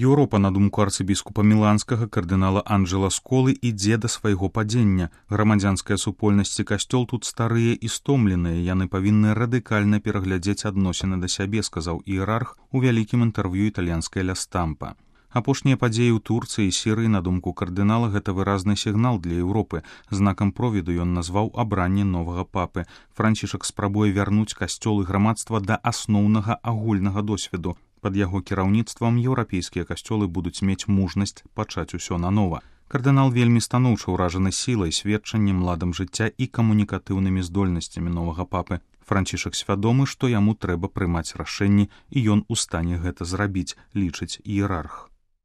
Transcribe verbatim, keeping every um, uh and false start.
Еўропа, на думку арцыбіскупа міланскага кардынала Анджела Сколы, ідзе да свайго падзення. Грамадзянская супольнасць і касцёл тут старыя і стомленыя, яны павінны радыкальна пераглядзець адносіны да сябе, сказаў іерарх у вялікім інтэрв'ю італьянскай Ля Стампа. Апошнія падзеі ў Турцыі і Сірыі, на думку кардынала, гэта выразны сігнал для Еўропы. Знакам провіду ён назваў абранне новага папы. Францішак спрабуе вярнуць касцёл і грамадства да асноўнага агульнага досведу. Пад яго кіраўніцтвам еўрапейскія касцёлы будуць мець мужнасць пачаць усё нанова. Кардынал вельмі станоўча ўражаны сілай, сведчаннем, ладам жыцця і камунікатыўнымі здольнасцямі новага папы. Францішак свядомы, што яму трэба прымаць рашэнні, і ён у стане гэта зрабіць, лічыць іерарх.